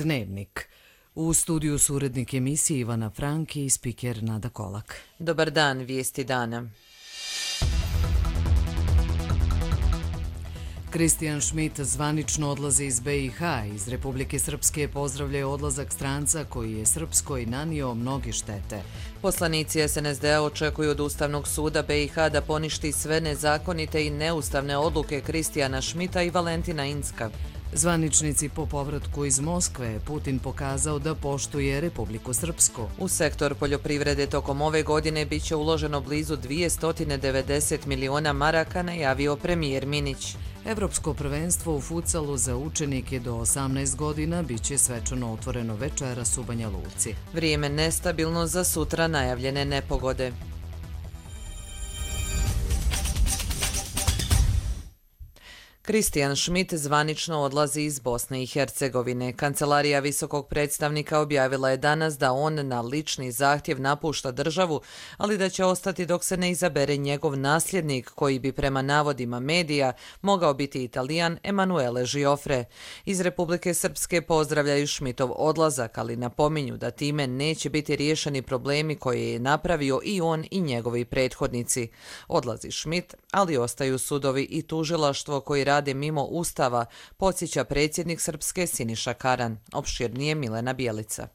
Dnevnik. U studiju su urednik emisije Ivana Franki i spiker Nada Kolak. Dobar dan, vijesti dana. Kristijan Šmit zvanično odlazi iz BiH. Iz Republike Srpske pozdravljaju odlazak stranca koji je Srpskoj nanio mnoge štete. Poslanici SNSD-a očekuju od Ustavnog suda BiH da poništi sve nezakonite i neustavne odluke Kristijana Šmita i Valentina Incka. Zvaničnici po povratku iz Moskve Putin pokazao da poštuje Republiku Srpsku. U sektor poljoprivrede tokom ove godine bit će uloženo blizu 290 miliona maraka, najavio premijer Minić. Evropsko prvenstvo u futsalu za učenike do 18 godina bit će svečano otvoreno večeras u Banja Luci. Vrijeme nestabilno, za sutra najavljene nepogode. Kristijan Šmit zvanično odlazi iz Bosne i Hercegovine. Kancelarija visokog predstavnika objavila je danas da on na lični zahtjev napušta državu, ali da će ostati dok se ne izabere njegov nasljednik, koji bi prema navodima medija mogao biti Italijan Emanuele Giofre. Iz Republike Srpske pozdravljaju Šmitov odlazak, ali napominju da time neće biti riješeni problemi koje je napravio i on i njegovi prethodnici. Odlazi Šmit, ali ostaju sudovi i tužilaštvo koji rade mimo Ustava, podsjeća predsjednik Srpske Siniša Karan. Opširnije Milena Bjelica.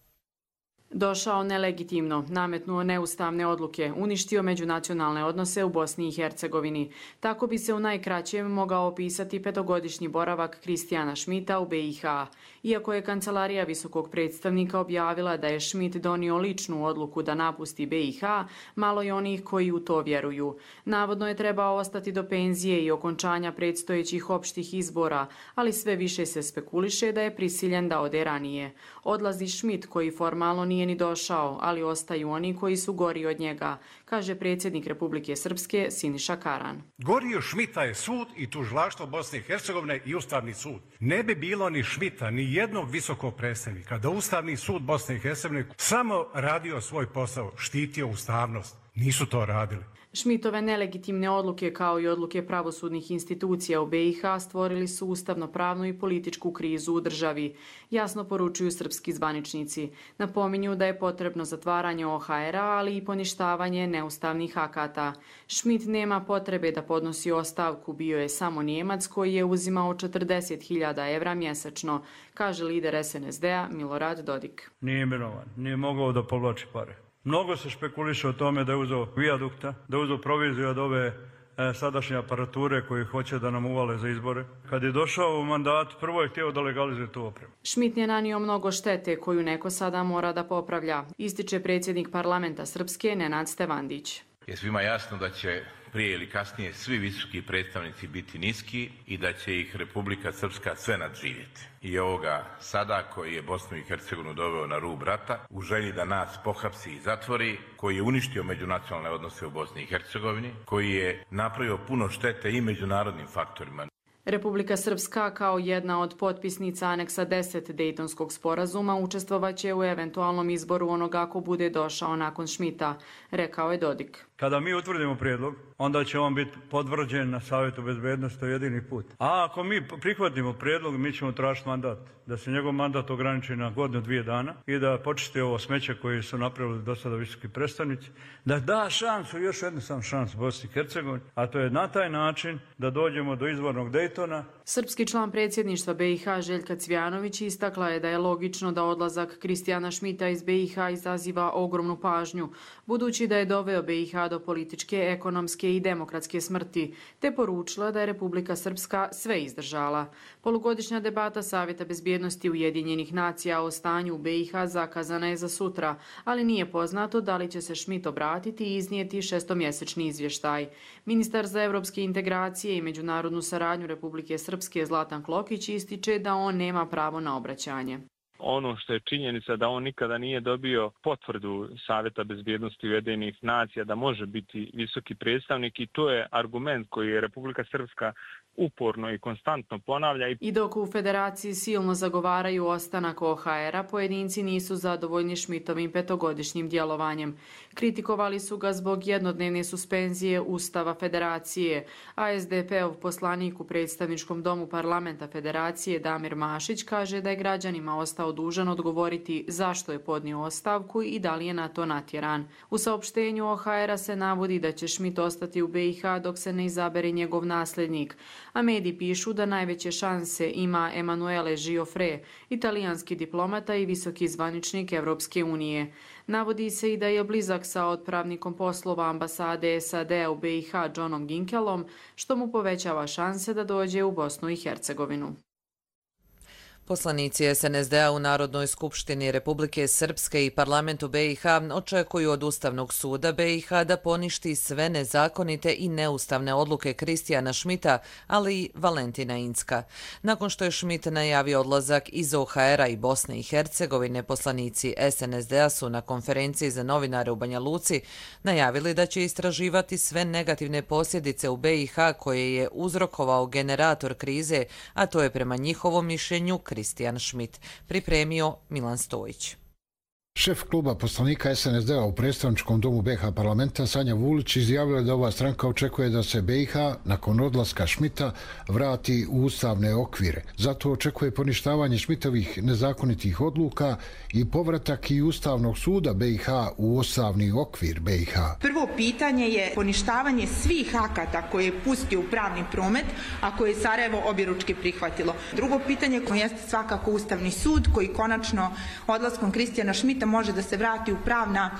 Došao nelegitimno, nametnuo neustavne odluke, uništio međunacionalne odnose u Bosni i Hercegovini. Tako bi se u najkraćem mogao opisati petogodišnji boravak Kristijana Šmita u BiH. Iako je Kancelarija visokog predstavnika objavila da je Šmit donio ličnu odluku da napusti BiH, malo je onih koji u to vjeruju. Navodno je trebao ostati do penzije i okončanja predstojećih opštih izbora, ali sve više se spekuliše da je prisiljen da ode ranije. Odlazi Šmit, koji formalno nije ni došao, ali ostaju oni koji su gori od njega, kaže predsjednik Republike Srpske Siniša Karan. Gori od Šmita je sud i tužilaštvo Bosne i Hercegovine i Ustavni sud. Ne bi bilo ni Šmita, ni jednog visokog predstavnika da Ustavni sud Bosne i Hercegovine samo radio svoj posao, štitio ustavnost. Nisu to radili. Šmitove nelegitimne odluke kao i odluke pravosudnih institucija u BiH stvorili su ustavno-pravnu i političku krizu u državi, jasno poručuju srpski zvaničnici. Napominju da je potrebno zatvaranje OHR-a, ali i poništavanje neustavnih akata. Šmit nema potrebe da podnosi ostavku, bio je samo Njemac koji je uzimao 40.000 evra mjesečno, kaže lider SNSD-a Milorad Dodik. Nije imenovan, nije mogao da povlači pare. Mnogo se špekuliše o tome da je uzeo vijadukta, da je uzeo proviziju od ove sadašnje aparature koji hoće da nam uvale za izbore. Kad je došao u mandat, prvo je htio da legalizuje tu opremu. Šmit je nanio mnogo štete koju neko sada mora da popravlja, ističe predsjednik parlamenta Srpske Nenad Stevandić. Je svima jasno da će prije ili kasnije svi visoki predstavnici biti niski i da će ih Republika Srpska sve nadživjeti. I ovoga sada koji je Bosnu i Hercegovinu doveo na rub rata, u želji da nas pohapsi i zatvori, koji je uništio međunacionalne odnose u Bosni i Hercegovini, koji je napravio puno štete i međunarodnim faktorima. Republika Srpska kao jedna od potpisnica aneksa 10 Dejtonskog sporazuma učestvovaće u eventualnom izboru onoga ako bude došao nakon Šmita, rekao je Dodik. Kada mi utvrdimo prijedlog, onda će on biti potvrđen na Savjetu bezbednosti, to je jedini put. A ako mi prihvatimo prijedlog, mi ćemo tražiti mandat, da se njegov mandat ograniči na godinu, 2 dana i da počisti ovo smeće koje su napravili do sada visoki predstavnici, da da šansu, još jednu sam šansu Bosni i Hercegovini, a to je na taj način da dođemo do izvornog Dejtona. Srpski član predsjedništva BiH Željka Cvjanović istakla je da je logično da odlazak Kristijana Šmita iz BiH izaziva ogromnu pažnju, budući da je doveo BiH do političke, ekonomske i demokratske smrti, te poručila da je Republika Srpska sve izdržala. Polugodišnja debata Savjeta bezbjednosti Ujedinjenih nacija o stanju u BiH zakazana je za sutra, ali nije poznato da li će se Šmit obratiti i iznijeti šestomjesečni izvještaj. Ministar za evropske integracije i međunarodnu saradnju Republike Srpske Zlatan Klokić ističe da on nema pravo na obraćanje. Ono što je činjenica da on nikada nije dobio potvrdu Savjeta bezbjednosti Ujedinjenih nacija da može biti visoki predstavnik i to je argument koji je Republika Srpska uporno i konstantno ponavlja. I dok u Federaciji silno zagovaraju ostanak OHR-a, pojedinci nisu zadovoljni Šmitovim petogodišnjim djelovanjem. Kritikovali su ga zbog jednodnevne suspenzije Ustava Federacije, a SDP-ov poslanik u predstavničkom domu parlamenta Federacije Damir Mašić kaže da je građanima ostao dužan odgovoriti zašto je podnio ostavku i da li je na to natjeran. U saopštenju OHR-a se navodi da će Schmidt ostati u BiH dok se ne izabere njegov nasljednik, a mediji pišu da najveće šanse ima Emanuele Giuffre, italijanski diplomata i visoki zvaničnik Evropske unije. Navodi se i da je blizak sa otpravnikom poslova ambasade SAD-a u BiH Johnom Ginkelom, što mu povećava šanse da dođe u Bosnu i Hercegovinu. Poslanici SNSD-a u Narodnoj skupštini Republike Srpske i parlamentu BiH očekuju od Ustavnog suda BiH da poništi sve nezakonite i neustavne odluke Kristijana Schmidta, ali i Valentina Incka. Nakon što je Schmidt najavio odlazak iz OHR-a i Bosne i Hercegovine, poslanici SNSD-a su na konferenciji za novinare u Banja Luci najavili da će istraživati sve negativne posljedice u BiH koje je uzrokovao generator krize, a to je prema njihovom mišljenju Kristijan Schmidt, pripremio Milan Stojić. Šef kluba poslanika SNSD-a u predstavničkom domu BiH parlamenta Sanja Vulić izjavila da ova stranka očekuje da se BiH nakon odlaska Schmidta vrati u ustavne okvire. Zato očekuje poništavanje Schmidtovih nezakonitih odluka i povratak i Ustavnog suda BiH u ustavni okvir BiH. Prvo pitanje je poništavanje svih akata koje je pustio u pravni promet, a koje je Sarajevo objeručke prihvatilo. Drugo pitanje jeste svakako Ustavni sud koji konačno odlaskom Kristijana Schmidta može da se vrati u pravna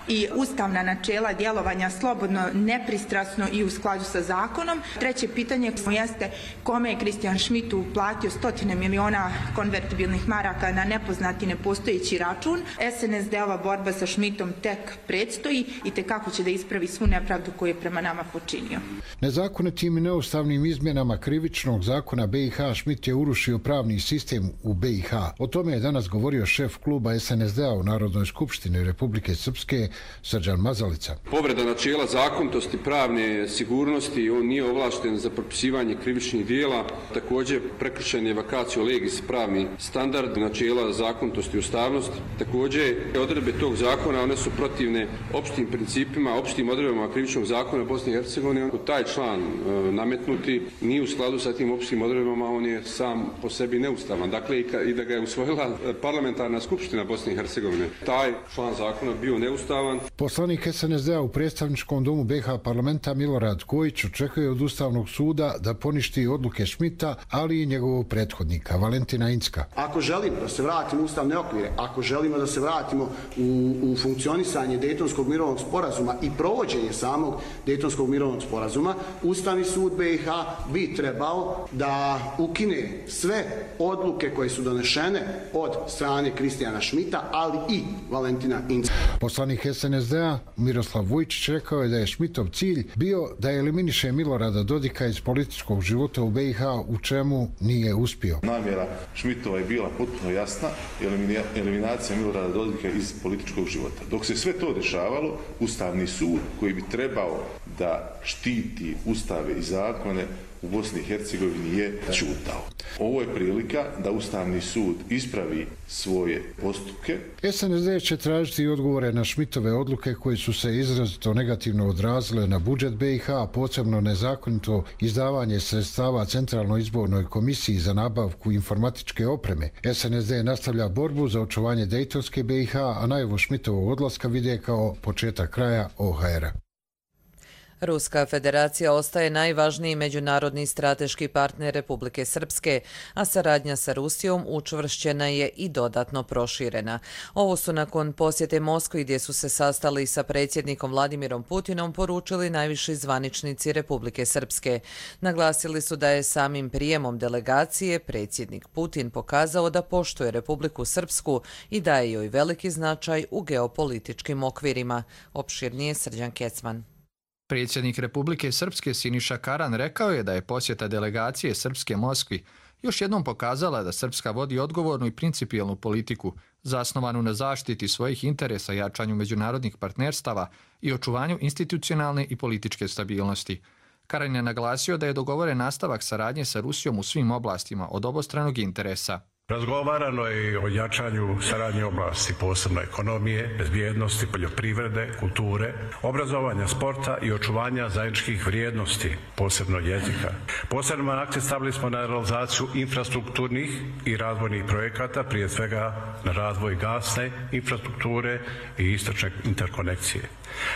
i ustavna načela djelovanja slobodno, nepristrasno i u skladu sa zakonom. Treće pitanje jeste kome je Kristijan Schmidt uplatio 100 miliona konvertibilnih maraka na nepoznati nepostojeći račun. SNSD-ova borba sa Schmidtom tek predstoji i tekako će da ispravi svu nepravdu koju je prema nama počinio. Nezakonitim i neustavnim izmjenama krivičnog zakona BiH Schmidt je urušio pravni sistem u BiH. O tome je danas govorio šef kluba SNSD-a u Narodnoj skupštini Republike Srpske Srđan Mazalica. Povreda načela zakonitosti, pravne sigurnosti, on nije ovlašten za propisivanje krivičnih dijela. Također prekršen je vacatio legis pravni standard načela zakonitosti i ustavnosti. Također odredbe tog zakona one su protivne opštim principima, opštim odredbama krivičnog zakona Bosne i Hercegovine. Taj član nametnuti nije u skladu sa tim opštim odredbama, on je sam po sebi neustavan. Dakle, i da ga je usvojila parlamentarna skupština Bosne i Hercegovine, taj član zakona bio neustavan. Poslanik SNSD-a u predstavničkom domu BiH parlamenta Milorad Kojić očekuje od Ustavnog suda da poništi odluke Schmidta, ali i njegovog prethodnika Valentina Incka. Ako želimo da se vratimo u ustavne okvire, ako želimo da se vratimo u funkcionisanje Dejtonskog mirovnog sporazuma i provođenje samog Dejtonskog mirovnog sporazuma, Ustavni sud BiH bi trebao da ukine sve odluke koje su donešene od strane Kristijana Schmidta, ali i Valentina Incka. Poslanik SNSD-a Miroslav Vujčić rekao je da je Schmidtov cilj bio da eliminiše Milorada Dodika iz političkog života u BiH, u čemu nije uspio. Namjera Schmidtova je bila potpuno jasna, eliminacija Milorada Dodika iz političkog života. Dok se sve to dešavalo, Ustavni sud koji bi trebao da štiti ustave i zakone u Bosni i Hercegovini je ćutao. Ovo je prilika da Ustavni sud ispravi svoje postupke. SNSD će tražiti odgovore na Schmidtove odluke koje su se izrazito negativno odrazile na budžet BiH, posebno nezakonito izdavanje sredstava Centralnoj izbornoj komisiji za nabavku informatičke opreme. SNSD nastavlja borbu za očuvanje Dejtonske BiH, a najavu Schmidtovog odlaska vide kao početak kraja OHR-a. Ruska federacija ostaje najvažniji međunarodni strateški partner Republike Srpske, a saradnja sa Rusijom učvršćena je i dodatno proširena. Ovo su nakon posjete Moskvi gdje su se sastali sa predsjednikom Vladimirom Putinom poručili najviši zvaničnici Republike Srpske. Naglasili su da je samim prijemom delegacije predsjednik Putin pokazao da poštuje Republiku Srpsku i daje joj veliki značaj u geopolitičkim okvirima. Opširnije Srđan Kecman. Predsjednik Republike Srpske Siniša Karan rekao je da je posjeta delegacije Srpske Moskvi još jednom pokazala da Srpska vodi odgovornu i principijelnu politiku, zasnovanu na zaštiti svojih interesa, jačanju međunarodnih partnerstava i očuvanju institucionalne i političke stabilnosti. Karan je naglasio da je dogovoren nastavak saradnje sa Rusijom u svim oblastima od obostranog interesa. Razgovarano je i o jačanju saradnje oblasti, posebno ekonomije, bezbjednosti, poljoprivrede, kulture, obrazovanja, sporta i očuvanja zajedničkih vrijednosti, posebno jezika. Posebno akcent stavili smo na realizaciju infrastrukturnih i razvojnih projekata, prije svega na razvoj gasne infrastrukture i istočne interkonekcije,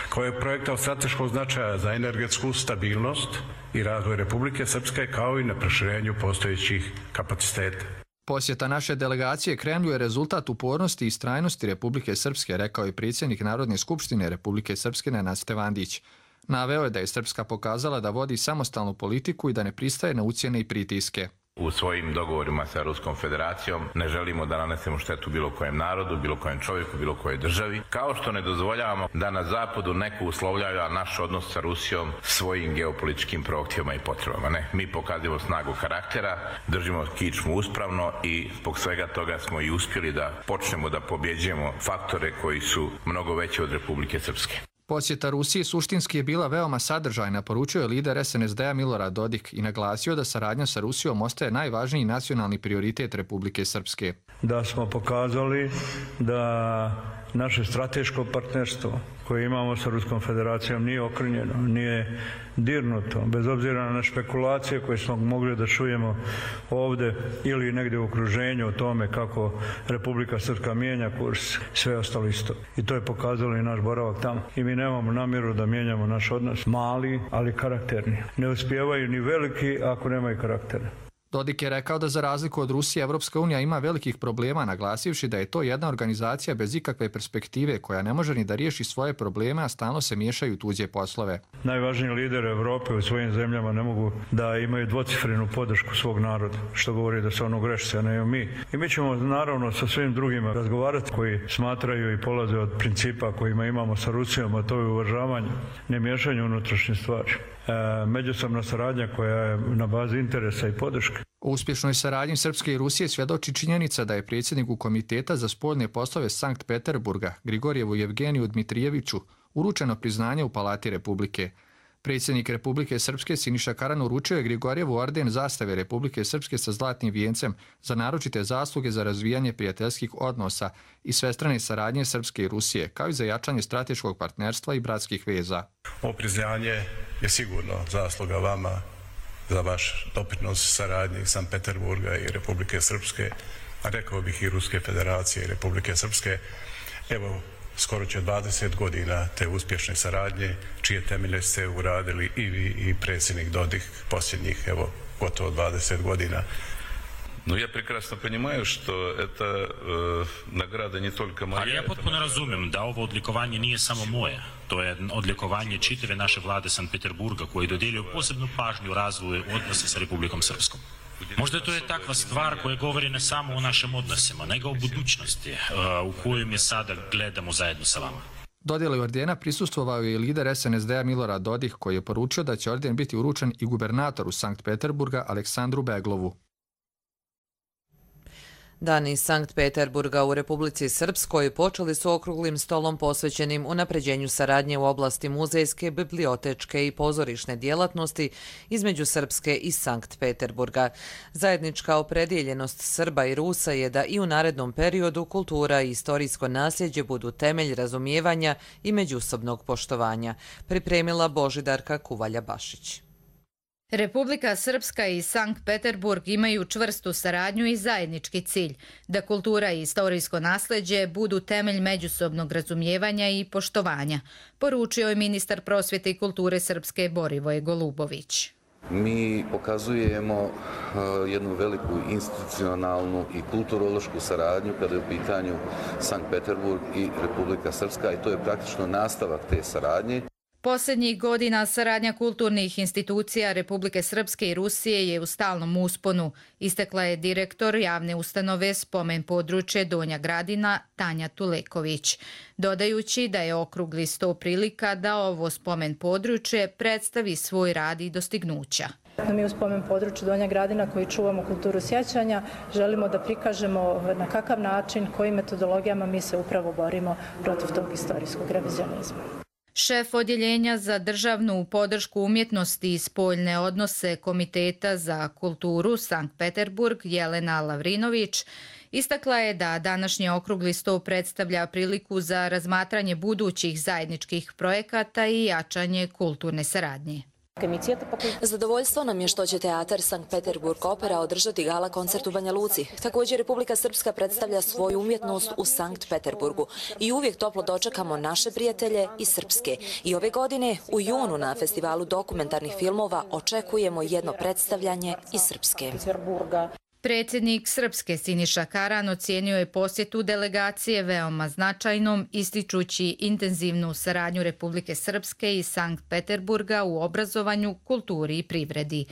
kao je projekta od strateškog značaja za energetsku stabilnost i razvoj Republike Srpske, kao i na proširenju postojećih kapaciteta. Posjeta naše delegacije Kremlju je rezultat upornosti i istrajnosti Republike Srpske, rekao je predsjednik Narodne skupštine Republike Srpske Nenad Stevandić. Naveo je da je Srpska pokazala da vodi samostalnu politiku i da ne pristaje na ucjene i pritiske. U svojim dogovorima sa Ruskom federacijom ne želimo da nanesemo štetu bilo kojem narodu, bilo kojem čovjeku, bilo kojoj državi, kao što ne dozvoljavamo da na zapadu neko uslovljava naš odnos sa Rusijom svojim geopolitičkim prohtjevima i potrebama. Ne, mi pokazujemo snagu karaktera, držimo kičmu uspravno i zbog svega toga smo i uspjeli da počnemo da pobjeđujemo faktore koji su mnogo veći od Republike Srpske. Posjeta Rusiji suštinski je bila veoma sadržajna, poručio je lider SNSD-a Milorad Dodik i naglasio da saradnja sa Rusijom ostaje najvažniji nacionalni prioritet Republike Srpske. Da smo pokazali da naše strateško partnerstvo koje imamo sa Ruskom federacijom nije okrnjeno, nije dirnuto, bez obzira na špekulacije koje smo mogli da čujemo ovdje ili negdje u okruženju o tome kako Republika Srpska mijenja kurs, sve ostalo isto. I to je pokazalo i naš boravak tamo. I mi nemamo namjeru da mijenjamo naš odnos. Mali, ali karakterni. Ne uspijevaju ni veliki ako nemaju karaktera. Dodik je rekao da za razliku od Rusije, Evropska unija ima velikih problema, naglasivši da je to jedna organizacija bez ikakve perspektive koja ne može ni da riješi svoje probleme, a stalno se miješaju u tuđe poslove. Najvažniji lideri Evrope u svojim zemljama ne mogu da imaju dvocifrenu podršku svog naroda, što govori da su ono grešci, a ne mi. I mi ćemo naravno sa svim drugima razgovarati koji smatraju i polaze od principa kojima imamo sa Rusijom, a to je uvažavanje, ne miješanje unutrašnje stvari. Međusobna saradnja koja je na bazi interesa i podrške. O uspješnoj saradnji Srpske i Rusije svjedoči činjenica da je predsjedniku Komiteta za spoljne poslove Sankt Peterburga, Grigorjevu Jevgeniju Dmitrijeviću, uručeno priznanje u Palati Republike. Predsjednik Republike Srpske Siniša Karan uručio je Grigorjevu orden zastave Republike Srpske sa zlatnim vijencem za naročite zasluge za razvijanje prijateljskih odnosa i svestrane saradnje Srpske i Rusije, kao i za jačanje strateškog partnerstva i bratskih veza. Ovo priznanje je sigurno zasluga vama za vaš doprinos saradnji Sankt Peterburga i Republike Srpske, a rekao bih i Ruske federacije i Republike Srpske. Evo, skoro će 20 godina te uspješne saradnje, čije temelje ste uradili i vi i predsjednik Dodik posljednjih, evo, gotovo 20 godina. No ja prekrasno понимаю, što это nagrada не только moja. Ali ja potpuno razumijem da ovo odlikovanje nije samo moje. To je odlikovanje čitave naše vlade Sankt Peterburga koji dodjeljuju posebnu pažnju razvoju odnosa sa Republikom Srpskom. Možda to je takva stvar koja govori ne samo o našim odnosima, nego o budućnosti u kojem je sada gledamo zajedno sa vama. Dodjeli ordena prisustvovao je i lider SNSD-a Milorad Dodik koji je poručio da će orden biti uručen i gubernatoru Sankt Peterburga Aleksandru Beglovu. Dani iz Sankt Peterburga u Republici Srpskoj počeli su okruglim stolom posvećenim unapređenju saradnje u oblasti muzejske, bibliotečke i pozorišne djelatnosti između Srpske i Sankt Peterburga. Zajednička opredjeljenost Srba i Rusa je da i u narednom periodu kultura i istorijsko nasljeđe budu temelj razumijevanja i međusobnog poštovanja, pripremila Božidarka Kuvalja-Bašić. Republika Srpska i Sankt Peterburg imaju čvrstu saradnju i zajednički cilj da kultura i istorijsko nasljeđe budu temelj međusobnog razumijevanja i poštovanja, poručio je ministar prosvjete i kulture Srpske Borivoje Golubović. Mi pokazujemo jednu veliku institucionalnu i kulturološku saradnju kada je u pitanju Sankt Peterburg i Republika Srpska i to je praktično nastavak te saradnje. Posljednjih godina saradnja kulturnih institucija Republike Srpske i Rusije je u stalnom usponu, istekla je direktor javne ustanove Spomen područje Donja Gradina Tanja Tuleković, dodajući da je okrugli sto prilika da ovo spomen područje predstavi svoj rad i dostignuća. Mi u spomen području Donja Gradina koji čuvamo kulturu sjećanja želimo da prikažemo na kakav način, kojim metodologijama mi se upravo borimo protiv tog istorijskog revizionizma. Šef odjeljenja za državnu podršku umjetnosti i spoljne odnose Komiteta za kulturu Sankt Peterburg Jelena Lavrinović istakla je da današnji okrugli sto predstavlja priliku za razmatranje budućih zajedničkih projekata i jačanje kulturne saradnje. Zadovoljstvo nam je što će teatar Sankt Peterburg Opera održati gala koncert u Banja Luci. Također Republika Srpska predstavlja svoju umjetnost u Sankt Peterburgu i uvijek toplo dočekamo naše prijatelje iz Srpske. I ove godine u junu na festivalu dokumentarnih filmova očekujemo jedno predstavljanje iz Srpske. Predsjednik Srpske Siniša Karan ocijenio je posjetu delegacije veoma značajnom, ističući intenzivnu saradnju Republike Srpske i Sankt Peterburga u obrazovanju, kulturi i privredi.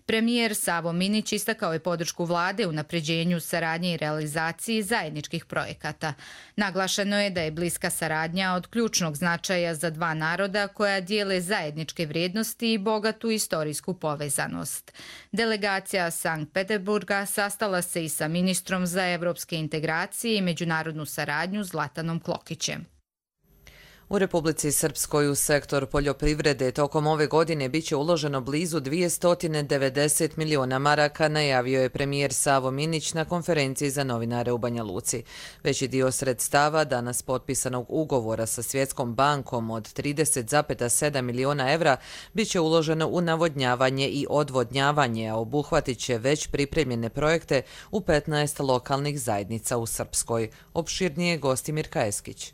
Premijer Savo Minić istakao je podršku vlade u unapređenju saradnje i realizaciji zajedničkih projekata. Naglašeno je da je bliska saradnja od ključnog značaja za dva naroda koja dijele zajedničke vrijednosti i bogatu istorijsku povezanost. Delegacija Sankt Peterburga sastala se i sa ministrom za evropske integracije i međunarodnu saradnju Zlatanom Klokićem. U Republici Srpskoj u sektor poljoprivrede tokom ove godine biće uloženo blizu 290 miliona maraka, najavio je premijer Savo Minić na konferenciji za novinare u Banja Luci. Veći dio sredstava danas potpisanog ugovora sa Svjetskom bankom od 30,7 miliona evra biće uloženo u navodnjavanje i odvodnjavanje, a obuhvatit će već pripremljene projekte u 15 lokalnih zajednica u Srpskoj. Opširnije Gostimir Kajeskić.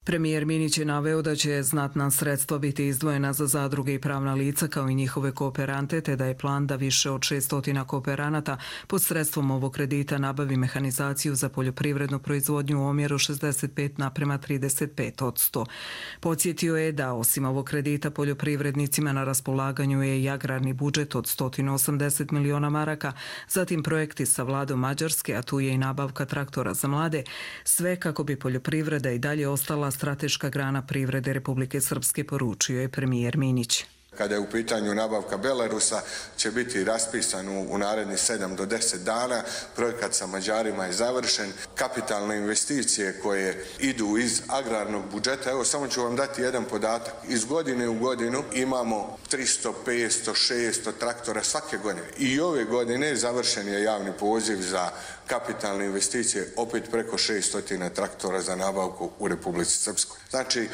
Premijer Minić je naveo da će znatna sredstva biti izdvojena za zadruge i pravna lica kao i njihove kooperante, te da je plan da više od 600 kooperanata pod sredstvom ovog kredita nabavi mehanizaciju za poljoprivrednu proizvodnju u omjeru 65:35%. Podsjetio je da osim ovog kredita poljoprivrednicima na raspolaganju je i agrarni budžet od 180 miliona maraka, zatim projekti sa vladom Mađarske, a tu je i nabavka traktora za mlade, sve kako bi poljoprivreda i dalje ostala strateška grana privrede Republike Srpske, poručio je premijer Minić. Kada je u pitanju nabavka Belarusa, će biti raspisan u narednih 7 do 10 dana. Projekat sa Mađarima je završen. Kapitalne investicije koje idu iz agrarnog budžeta, evo samo ću vam dati jedan podatak. Iz godine u godinu imamo 300, 500, 600 traktora svake godine. I ove godine završen je javni poziv za kapitalne investicije, opet preko 600 traktora za nabavku u Republici Srpskoj. Znači,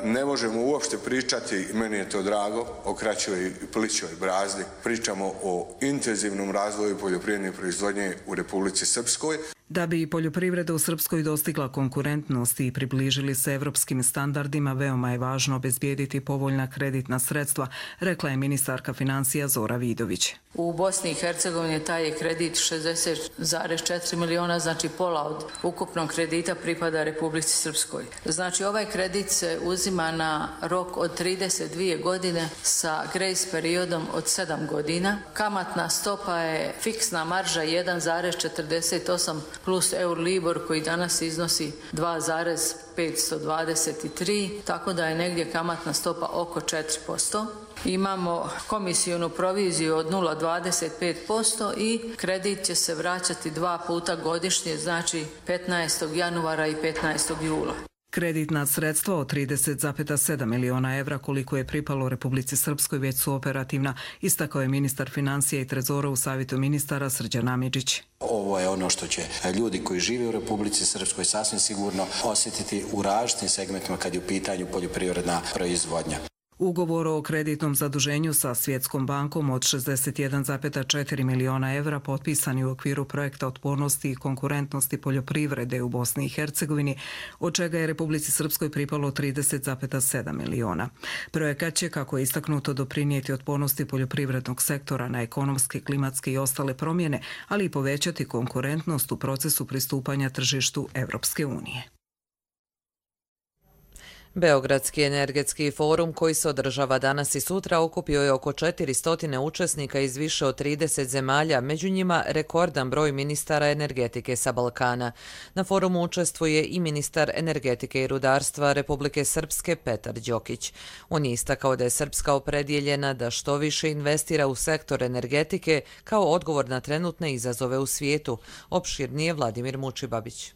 ne možemo uopšte pričati, meni je to drago, o kraćoj i plićoj brazdi. Pričamo o intenzivnom razvoju poljoprivredne proizvodnje u Republici Srpskoj. Da bi poljoprivreda u Srpskoj dostigla konkurentnost i približili se evropskim standardima, veoma je važno obezbijediti povoljna kreditna sredstva, rekla je ministarka financija Zora Vidović. U Bosni i Hercegovini taj je kredit 60,4 miliona, znači pola od ukupnog kredita pripada Republici Srpskoj. Znači ovaj kredit se uzima na rok od 32 godine sa grace periodom od 7 godina. Kamatna stopa je fiksna marža 1,48 plus Euribor koji danas iznosi 2,523, tako da je negdje kamatna stopa oko 4%. Imamo komisijonu proviziju od 0,25% i kredit će se vraćati 2 puta godišnje, znači 15. januara i 15. jula. Kreditna sredstva od 30,7 miliona evra koliko je pripalo Republici Srpskoj već su operativna, istakao je ministar financija i trezora u savjetu ministara Srđan Amidžić. Ovo je ono što će ljudi koji žive u Republici Srpskoj sasvim sigurno osjetiti u različitim segmentima kad je u pitanju poljoprivredna proizvodnja. Ugovor o kreditnom zaduženju sa Svjetskom bankom od 61,4 miliona evra potpisan je u okviru projekta otpornosti i konkurentnosti poljoprivrede u Bosni i Hercegovini, od čega je Republici Srpskoj pripalo 30,7 miliona. Projekat će, kako je istaknuto, doprinijeti otpornosti poljoprivrednog sektora na ekonomske, klimatske i ostale promjene, ali i povećati konkurentnost u procesu pristupanja tržištu Evropske unije. Beogradski energetski forum koji se održava danas i sutra okupio je oko 400 učesnika iz više od 30 zemalja, među njima rekordan broj ministara energetike sa Balkana. Na forumu učestvuje i ministar energetike i rudarstva Republike Srpske Petar Đokić. On je istakao da je Srpska opredjeljena da što više investira u sektor energetike kao odgovor na trenutne izazove u svijetu. Opširnije Vladimir Mučibabić.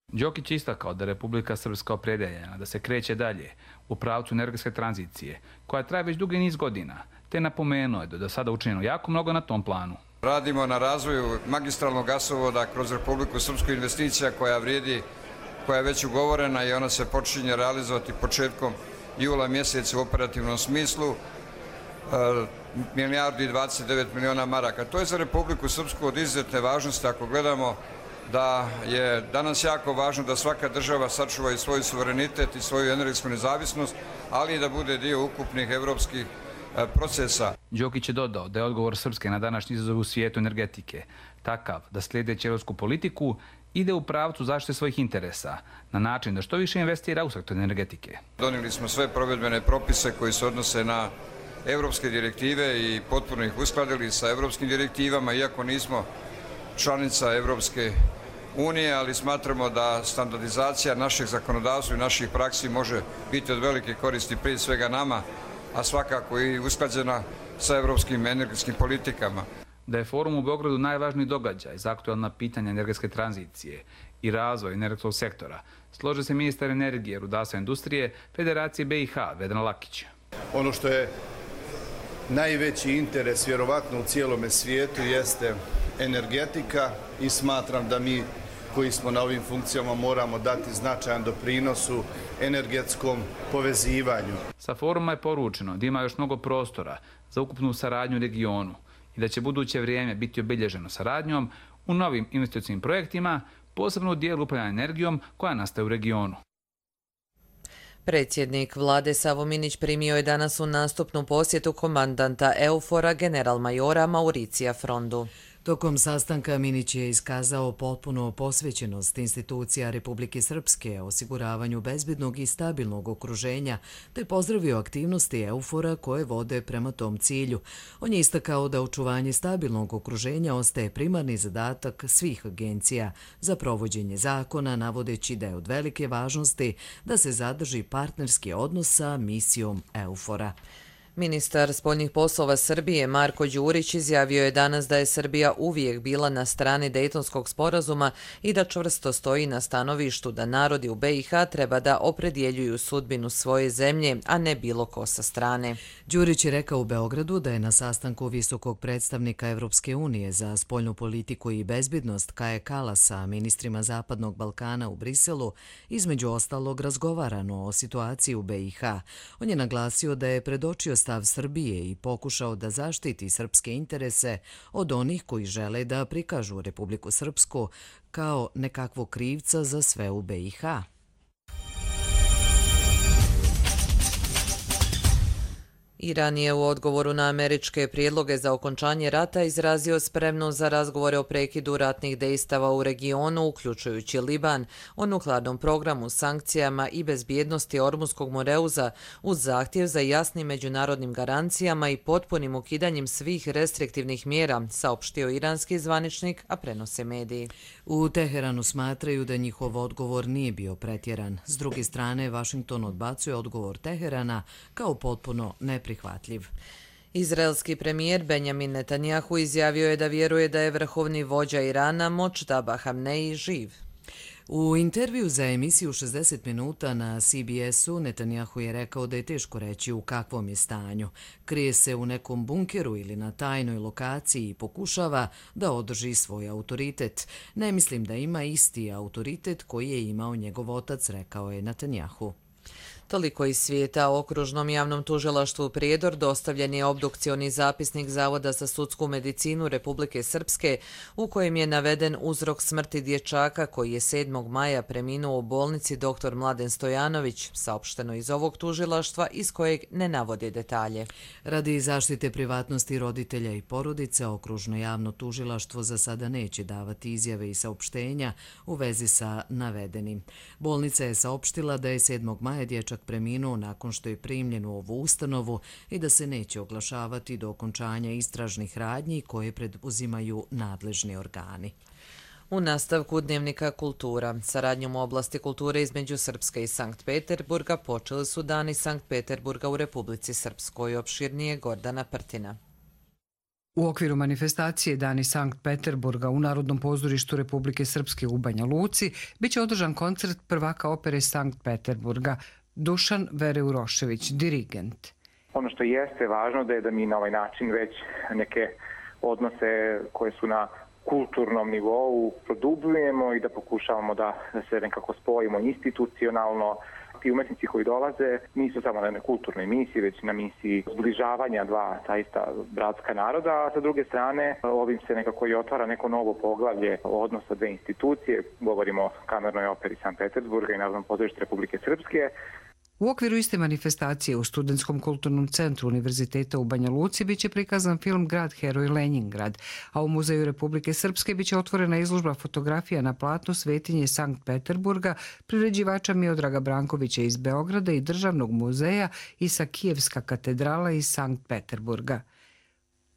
Đokić je istakao da je Republika Srpska opredeljena da se kreće dalje u pravcu energetske tranzicije, koja traje već dugi niz godina, te napomenuo je da je do sada učinjeno jako mnogo na tom planu. Radimo na razvoju magistralnog gasovoda kroz Republiku Srpsku, investicija koja vrijedi, koja je već ugovorena i ona se počinje realizovati početkom jula mjeseca u operativnom smislu, milijardu i 29 miliona maraka. To je za Republiku Srpsku od izuzetne važnosti ako gledamo da je danas jako važno da svaka država sačuva i svoj suverenitet i svoju energetsku nezavisnost, ali i da bude dio ukupnih evropskih procesa. Đokić je dodao da je odgovor Srpske na današnji izazov u svijetu energetike takav da slijedeći evropsku politiku ide u pravcu zaštite svojih interesa na način da što više investira u sektor energetike. Donijeli smo sve provedbene propise koji se odnose na evropske direktive i potpuno ih uskladili sa evropskim direktivama, iako nismo članica Evropske unije, ali smatramo da standardizacija našeg zakonodavstva i naših praksi može biti od velike koristi prije svega nama, a svakako i usklađena sa evropskim energetskim politikama. Da je forum u Beogradu najvažniji događaj za aktualna pitanja energetske tranzicije i razvoj energetskog sektora, složio se ministar energije, rudarstva i industrije Federacije BiH Vedran Lakić. Ono što je najveći interes vjerovatno u cijelome svijetu jeste energetika i smatram da mi koji smo na ovim funkcijama moramo dati značajan doprinos u energetskom povezivanju. Sa foruma je poručeno da ima još mnogo prostora za ukupnu saradnju u regionu i da će buduće vrijeme biti obilježeno saradnjom u novim investicijskim projektima, posebno u dijelu upravljanja energijom koja nastaje u regionu. Predsjednik vlade Savo Minić primio je danas u nastupnu posjetu komandanta EUFOR-a general-majora Mauricija Frondu. Tokom sastanka Minić je iskazao potpuno posvećenost institucija Republike Srpske osiguravanju bezbednog i stabilnog okruženja, te pozdravio aktivnosti EUFOR-a koje vode prema tom cilju. On je istakao da očuvanje stabilnog okruženja ostaje primarni zadatak svih agencija za provođenje zakona, navodeći da je od velike važnosti da se zadrži partnerski odnos sa misijom EUFOR-a. Ministar spoljnih poslova Srbije Marko Đurić izjavio je danas da je Srbija uvijek bila na strani Dejtonskog sporazuma i da čvrsto stoji na stanovištu da narodi u BiH treba da opredjeljuju sudbinu svoje zemlje, a ne bilo ko sa strane. Đurić je rekao u Beogradu da je na sastanku visokog predstavnika Evropske unije za spoljnu politiku i bezbednost Kaje Kalasa sa ministrima Zapadnog Balkana u Briselu između ostalog razgovarano o situaciji u BiH. On je naglasio da je predočio stav Srbije i pokušao da zaštiti srpske interese od onih koji žele da prikažu Republiku Srpsku kao nekakvog krivca za sve u BiH. Iran je u odgovoru na američke prijedloge za okončanje rata izrazio spremnost za razgovore o prekidu ratnih dejstava u regionu, uključujući Liban, o nuklearnom programu, sankcijama i bezbjednosti Ormuskog Moreuza, uz zahtjev za jasnim međunarodnim garancijama i potpunim ukidanjem svih restriktivnih mjera, saopštio iranski zvaničnik, a prenose mediji. U Teheranu smatraju da njihov odgovor nije bio pretjeran. S druge strane, Vašington odbacuje odgovor Teherana kao potpuno neprihvatljiv. Izraelski premijer Benjamin Netanjahu izjavio je da vjeruje da je vrhovni vođa Irana Močtaba Hamneji živ. U intervju za emisiju 60 minuta na CBS-u Netanjahu je rekao da je teško reći u kakvom je stanju. Krije se u nekom bunkeru ili na tajnoj lokaciji i pokušava da održi svoj autoritet. Ne mislim da ima isti autoritet koji je imao njegov otac, rekao je Netanjahu. Toliko iz svijeta. Okružnom javnom tužilaštvu Prijedor dostavljen je obdukcioni zapisnik Zavoda za sudsku medicinu Republike Srpske u kojem je naveden uzrok smrti dječaka koji je 7. maja preminuo u bolnici dr. Mladen Stojanović, saopšteno iz ovog tužilaštva iz kojeg ne navode detalje. Radi zaštite privatnosti roditelja i porodice, okružno javno tužilaštvo za sada neće davati izjave i saopštenja u vezi sa navedenim. Bolnica je saopštila da je 7. maja dječak preminuo nakon što je primljen u ovu ustanovu i da se neće oglašavati do okončanja istražnih radnji koje preduzimaju nadležni organi. U nastavku Dnevnika kultura, saradnjom u oblasti kulture između Srpske i Sankt Peterburga počeli su Dani Sankt Peterburga u Republici Srpskoj. Opširnije Gordana Prtina. U okviru manifestacije Dani Sankt Peterburga u Narodnom pozorištu Republike Srpske u Banja Luci biće održan koncert prvaka opere Sankt Peterburga Dušan Vereurošević, dirigent. Ono što jeste važno da mi na ovaj način već neke odnose koje su na kulturnom nivou produbljujemo i da pokušavamo da se nekako spojimo institucionalno. Ti umetnici koji dolaze nisu samo na kulturnoj misiji, već na misiji zbližavanja dva zaista bratska naroda, a sa druge strane ovim se nekako i otvara neko novo poglavlje odnosa dve institucije. Govorimo o Kamernoj operi Sankt Peterburga i Narodnom pozorištu Republike Srpske. U okviru iste manifestacije u Studentskom kulturnom centru Univerziteta u Banja Luci biće prikazan film Grad heroj Lenjingrad, a u Muzeju Republike Srpske biće otvorena izložba fotografija na platnu Svetinje Sankt Peterburga priređivača Miodraga Brankovića iz Beograda i Državnog muzeja Isakijevska katedrala iz Sankt Peterburga.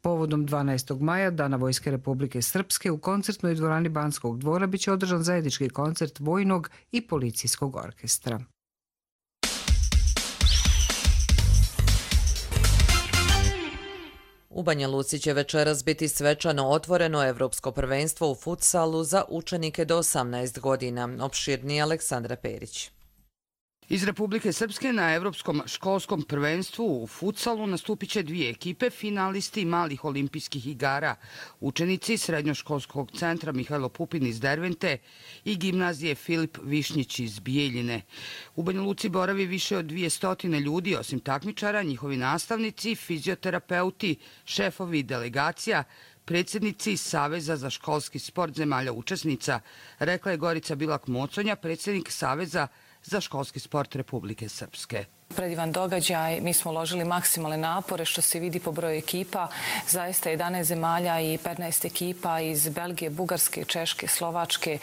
Povodom 12. maja, Dana Vojske Republike Srpske, u koncertnoj dvorani Banskog dvora biće održan zajednički koncert vojnog i policijskog orkestra. U Banja Luci će večeras biti svečano otvoreno Evropsko prvenstvo u futsalu za učenike do 18 godina. Opširnije Aleksandra Perić. Iz Republike Srpske na Evropskom školskom prvenstvu u futsalu nastupit će dvije ekipe, finalisti malih olimpijskih igara, učenici Srednjoškolskog centra Mihajlo Pupin iz Dervente i gimnazije Filip Višnjić iz Bijeljine. U Banja Luci boravi više od 200 ljudi, osim takmičara, njihovi nastavnici, fizioterapeuti, šefovi delegacija, predsjednici Saveza za školski sport zemalja učesnica, rekla je Gorica Bilak-Moconja, predsjednik Saveza za školski sport Republike Srpske. Predivan događaj, mi smo uložili maksimalne napore što se vidi po broju ekipa. Zaista 11 zemalja i 15 ekipa iz Belgije, Bugarske, Češke, Slovačke,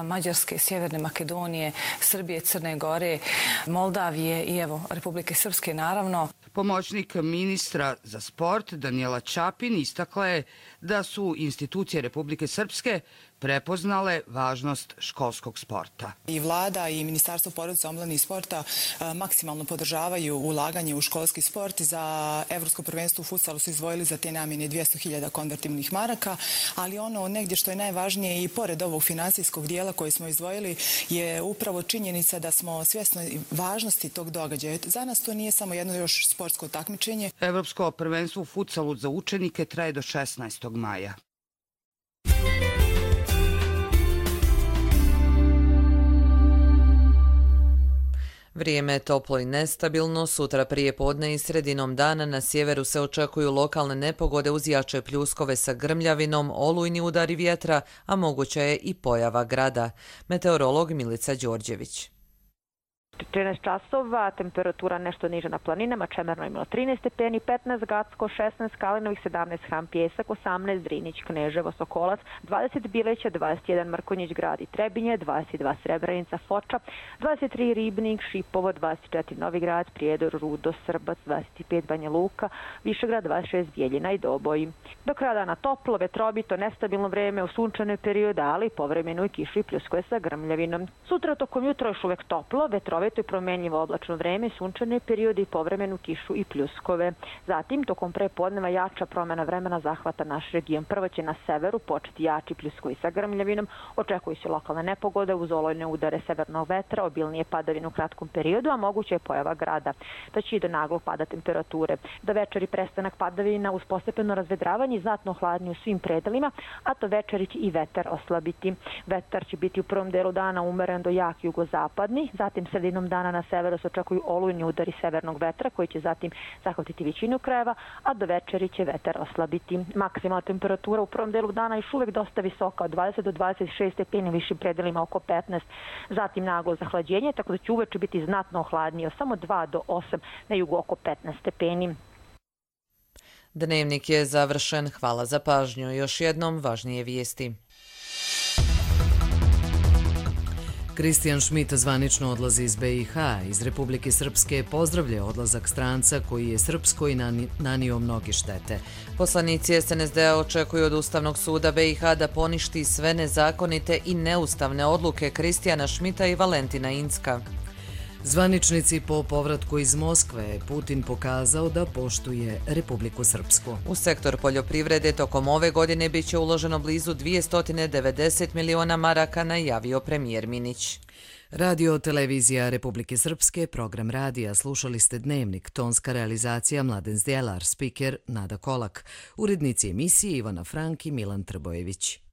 Mađarske, Sjeverne Makedonije, Srbije, Crne Gore, Moldavije i evo Republike Srpske naravno. Pomoćnik ministra za sport Danijela Čapin istakla je da su institucije Republike Srpske prepoznale važnost školskog sporta. I vlada i Ministarstvo porodice, omladine i sporta maksimalno podržavaju ulaganje u školski sport. Za Evropsko prvenstvo u futsalu su izdvojili za te namjene 200.000 konvertibilnih maraka, ali ono negdje što je najvažnije i pored ovog finansijskog dijela koji smo izdvojili je upravo činjenica da smo svjesni važnosti tog događaja. Za nas to nije samo jedno još sportsko takmičenje. Evropsko prvenstvo u futsalu za učenike traje do 16. maja. Vrijeme je toplo i nestabilno. Sutra prije podne i sredinom dana na sjeveru se očekuju lokalne nepogode uz jače pljuskove sa grmljavinom, olujni udari vjetra, a moguća je i pojava grada. Meteorolog Milica Đorđević. 13 časova, temperatura nešto niža na planinama, Čemerno imalo 13 stepeni, 15 Gacko, 16 Kalinovih, 17 Ham Pjesak, 18 Drinić, Kneževo, Sokolac, 20 Bileća, 21 Mrkonjić, Grad i Trebinje, 22 Srebrenica, Foča, 23 Ribnik, Šipovo, 24 Novigrad, Prijedor, Rudo, Srbac, 25 Banja Luka, Višegrad, 26 Bijeljina i Doboj. Do kraja dana toplo, vetrovito, nestabilno vreme u sunčanoj periodu, ali povremeno i kišu i pljuskove sa grmljavinom. Sutra tokom jutra još uvek toplo, vetrovito i promjenjivo oblačno vreme, sunčane periode i povremenu kišu i pljuskove. Zatim, tokom prepodneva jača promjena vremena zahvata naš region. Prvo će na severu početi jači pljuskovi sa grmljavinom, očekuju se lokalne nepogode uz olujne udare severnog vetra, obilnije padavine u kratkom periodu, a moguće je pojava grada. Da će i do naglog pada temperature. Do večeri prestanak padavina uz postepeno razvedravanje i znatno hladnije u svim predelima, a to večeri će i vetar oslabiti. Vetar će biti u prvom delu dana umeren do jak jugozapadni, zatim sredinom dana na severu se očekuju olujni udari severnog vetra koji će zatim zahvatiti većinu krajeva, a do večeri će vetar oslabiti. Maksimalna temperatura u prvom delu dana još uvijek dosta visoka, od 20 do 26 stepeni, višim predelima oko 15. Zatim naglo zahlađenje, tako da će uveče biti znatno hladnije, samo 2 do 8, na jugu oko 15 stepeni. Dnevnik je završen. Hvala za pažnju. Još jednom važnije vijesti. Kristijan Šmit zvanično odlazi iz BiH. Iz Republike Srpske pozdravlja odlazak stranca koji je Srpskoj nanio mnoge štete. Poslanici SNSD-a očekuju od Ustavnog suda BiH da poništi sve nezakonite i neustavne odluke Kristijana Šmita i Valentina Incka. Zvaničnici po povratku iz Moskve Putin pokazao da poštuje Republiku Srpsku. U sektor poljoprivrede tokom ove godine bit će uloženo blizu 290 miliona maraka, najavio premijer Minić. Radio televizija Republike Srpske, program radija, slušali ste Dnevnik, tonska realizacija Mladen Zdjelar, spiker Nada Kolak, urednici emisije Ivana Frank i Milan Trbojević.